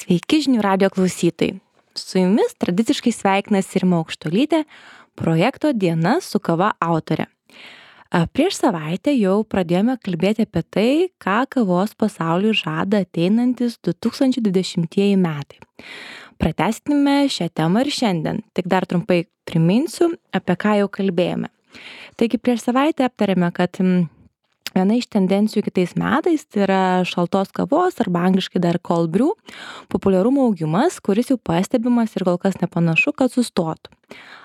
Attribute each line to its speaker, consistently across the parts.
Speaker 1: Sveiki žinių radijo klausytojai. Su jumis tradiciškai sveikinasi Rima Aukštuolytė, projekto Diena su kava autorė. Prieš savaitę jau pradėjome kalbėti apie tai, ką kavos pasauliui žada ateinantis 2020 metai. Pratęskime šią temą ir šiandien, tik dar trumpai priminsiu, apie ką jau kalbėjome. Taigi prieš savaitę aptarėme, kad viena iš tendencijų kitais metais tai yra šaltos kavos arba angliškai dar cold brew populiarumo augimas, kuris jau pastebimas ir kol kas nepanašu, kad sustotų.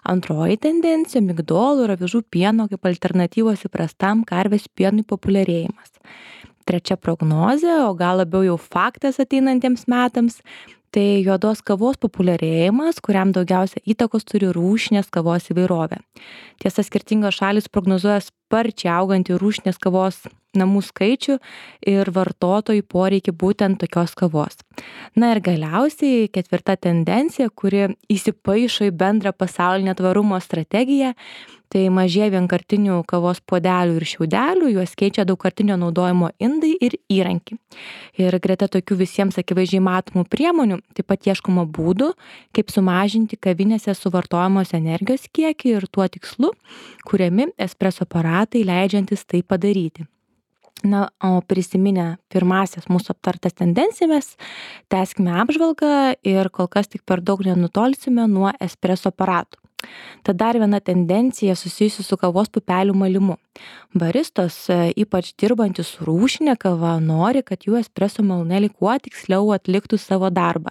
Speaker 1: Antroji tendencija - migdolų ir avižų pieno kaip alternatyvos įprastam karvės pienui populiarėjimas. Trečia prognozė, o gal labiau jau faktas ateinantiems metams, tai juodos kavos populiarėjimas, kuriam daugiausia įtakos turi rūšinės kavos įvairovė. Tiesa, skirtingos šalys prognozuoja sparčiai augantį rūšinės kavos namų skaičių ir vartotojų poreikį būtent tokios kavos. Na ir galiausiai ketvirta tendencija, kuri įsipaišo į bendrą pasaulinę tvarumo strategiją, tai mažėja vienkartinių kavos puodelių ir šiaudelių, juos keičia daugkartinio naudojimo indai ir įrankiai. Ir greta tokių visiems akivaizdžiai matomų priemonių, taip pat ieškoma būdų, kaip sumažinti kavinėse suvartojamos energijos kiekį ir tuo tikslu kuriami espreso aparatai leidžiantis tai padaryti. Na, o prisiminę pirmasias mūsų aptartas tendencijas, tęskime apžvalgą ir kol kas tik per daug nenutolsime nuo espreso aparatų. Tad dar viena tendencija susijusi su kavos pupelių malimu. Baristos, ypač dirbantys su rūšinė kava, nori, kad jų espreso malūnėliai kuo tiksliau atliktų savo darbą.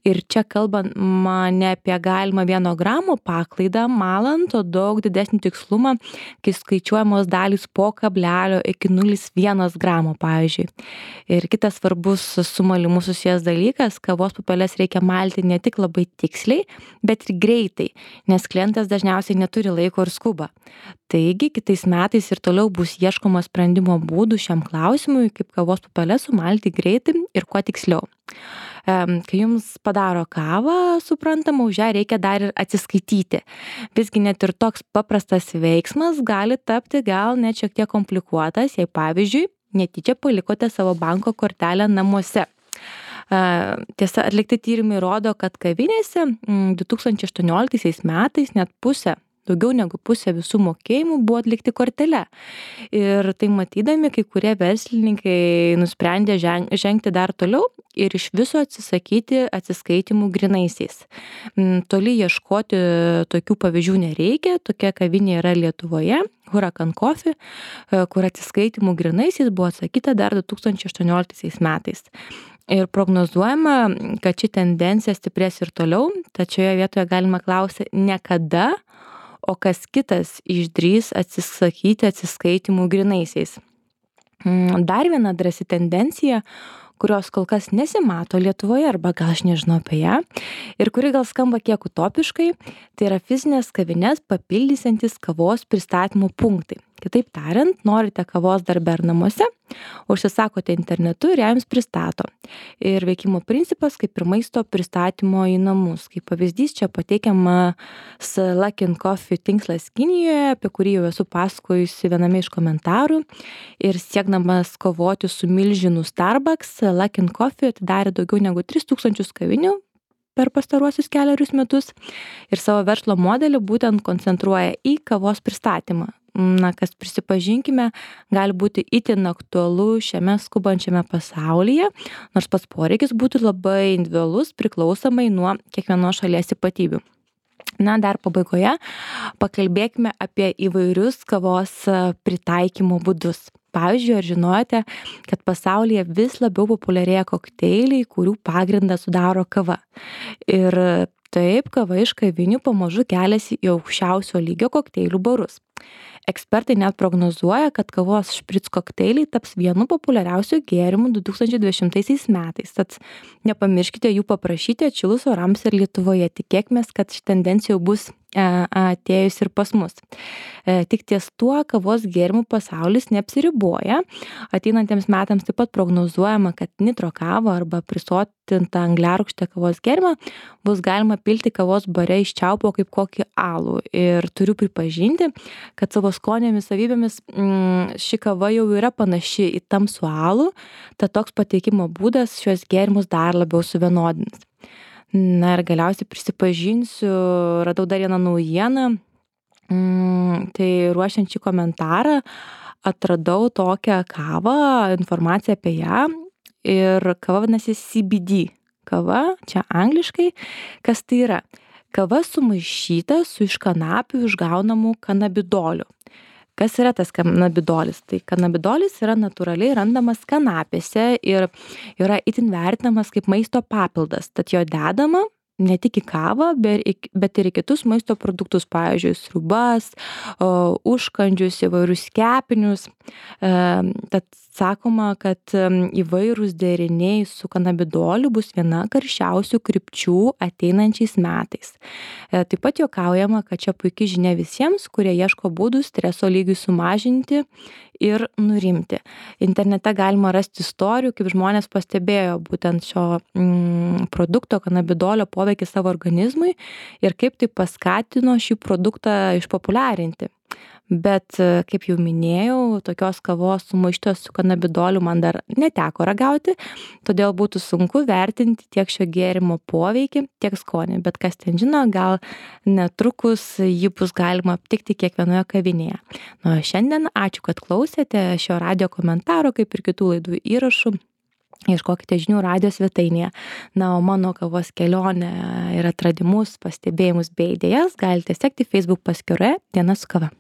Speaker 1: Ir čia kalbant ne apie galimą 1 gramo paklaidą malant, o daug didesnį tikslumą, kai skaičiuojamos dalys po kablelio iki 0,1 gramo, pavyzdžiui. Ir kitas svarbus su malimu susijęs dalykas, kavos pupeles reikia malti ne tik labai tiksliai, bet ir greitai, nes klientas dažniausiai neturi laiko ir skuba. Taigi, kitais metais ir toliau bus ieškoma sprendimo būdų šiam klausimui, kaip kavos pupeles sumalti greitai ir kuo tiksliau. Kai jums padaro kavą, suprantama, už ją reikia dar ir atsiskaityti. Visgi net ir toks paprastas veiksmas gali tapti gal net šiek tiek komplikuotas, jei pavyzdžiui, netyčia palikote savo banko kortelę namuose. Tiesa, atlikti tyrimai rodo, kad kavinėse 2018 metais net daugiau negu pusė visų mokėjimų buvo atlikti kortele. Ir tai matydami, kai kurie verslininkai nusprendė žengti dar toliau ir iš viso atsisakyti atsiskaitimų grynaisiais. Toli ieškoti tokių pavyzdžių nereikia, tokia kavinė yra Lietuvoje, Huracan Coffee, kur atsiskaitimų grynaisiais buvo atsakyta dar 2018 metais. Ir prognozuojama, kad ši tendencija stiprės ir toliau, tačioje vietoje galima klausyti ne kada, o kas kitas išdrįs atsisakyti atsiskaitimų grynaisiais. Dar viena drąsi tendencija, kurios kol kas nesimato Lietuvoje, arba gal aš nežinau apie ją, ir kuri gal skamba kiek utopiškai, tai yra fizinės kavines papildysiantis kavos pristatymo punktai. Kitaip tariant, norite kavos darbe ar namuose, užsisakote internetu ir jums pristato. Ir veikimo principas kaip ir maisto pristatymo į namus. Kaip pavyzdys čia pateikiamas Luckin Coffee tinklas Kinijoje, apie kurį jau esu pasakojusi viename iš komentarų. Ir siekdamas kovoti su milžinu Starbucks, Luckin Coffee atidarė daugiau negu 3000 kavinių per pastaruosius kelerius metus ir savo verslo modelį būtent koncentruoja į kavos pristatymą. Na, kas prisipažinkime, gali būti itin aktualu šiame skubančiame pasaulyje, nors pats poreikis būtų labai individualus priklausomai nuo kiekvienos šalies ypatybių. Na, dar pabaigoje pakalbėkime apie įvairius kavos pritaikymo būdus. Pavyzdžiui, ar žinojote, kad pasaulyje vis labiau populiarėja kokteiliai, kurių pagrindą sudaro kava. Ir taip, kava iš kavinių pamažu keliasi į aukščiausio lygio kokteilių barus. Ekspertai net prognozuoja, kad kavos špric kokteiliai taps vienu populiariausių gėrimų 2020 metais. Tad nepamirškite jų paprašyti atšilus orams ir Lietuvoje. Tikėkimės, kad ši tendencija jau bus atėjus ir pas mus. Tik ties tuo kavos gėrimų pasaulis neapsiriboja. Ateinantiems metams taip pat prognozuojama, kad nitro kavą arba prisotintą angliarūgštę kavos gėrimą bus galima pilti kavos bare iš čiaupo kaip kokį alų. Ir turiu pripažinti, kad savo savo skonėmis, savybėmis ši kava jau yra panaši į tamsų alų, tad toks pateikimo būdas šios gėrimus dar labiau suvienodins. Na ir galiausiai prisipažinsiu, radau dar vieną naujieną, tai ruošiant šį komentarą atradau tokią kavą, informaciją apie ją ir kava vadinasi CBD. Kava, čia angliškai, kas tai yra? Kava sumaišyta su iš kanapių išgaunamu kanabidoliu. Kas yra tas kanabidolis? Tai kanabidolis yra natūraliai randamas kanapėse ir yra itin vertinamas kaip maisto papildas. Tad jo dedama ne tik į kavą, bet ir į kitus maisto produktus, pavyzdžiui, sriubas, užkandžius, įvairius kepinius. Tad sakoma, kad įvairūs deriniai su kanabidoliu bus viena karščiausių krypčių ateinančiais metais. Taip pat juokaujama, kad čia puikia žinia visiems, kurie ieško būdų streso lygiui sumažinti ir nurimti. Internete galima rasti istorijų, kaip žmonės pastebėjo būtent šio produkto kanabidolio poveikį savo organizmui ir kaip tai paskatino šį produktą išpopuliarinti. Bet, kaip jau minėjau, tokios kavos sumaištos su kanabidoliu man dar neteko ragauti, todėl būtų sunku vertinti tiek šio gėrimo poveikį, tiek skonį. Bet kas ten žino, gal netrukus jį bus galima aptikti kiekvienoje kavinėje. Na, šiandien ačiū, kad klausėte šio radijo komentaro, kaip ir kitų laidų įrašų. Ieškokite žinių radijo svetainėje. Na, o mano kavos kelionę ir atradimus, pastebėjimus bei idėjas galite sekti Facebook paskyroje Diena su kava.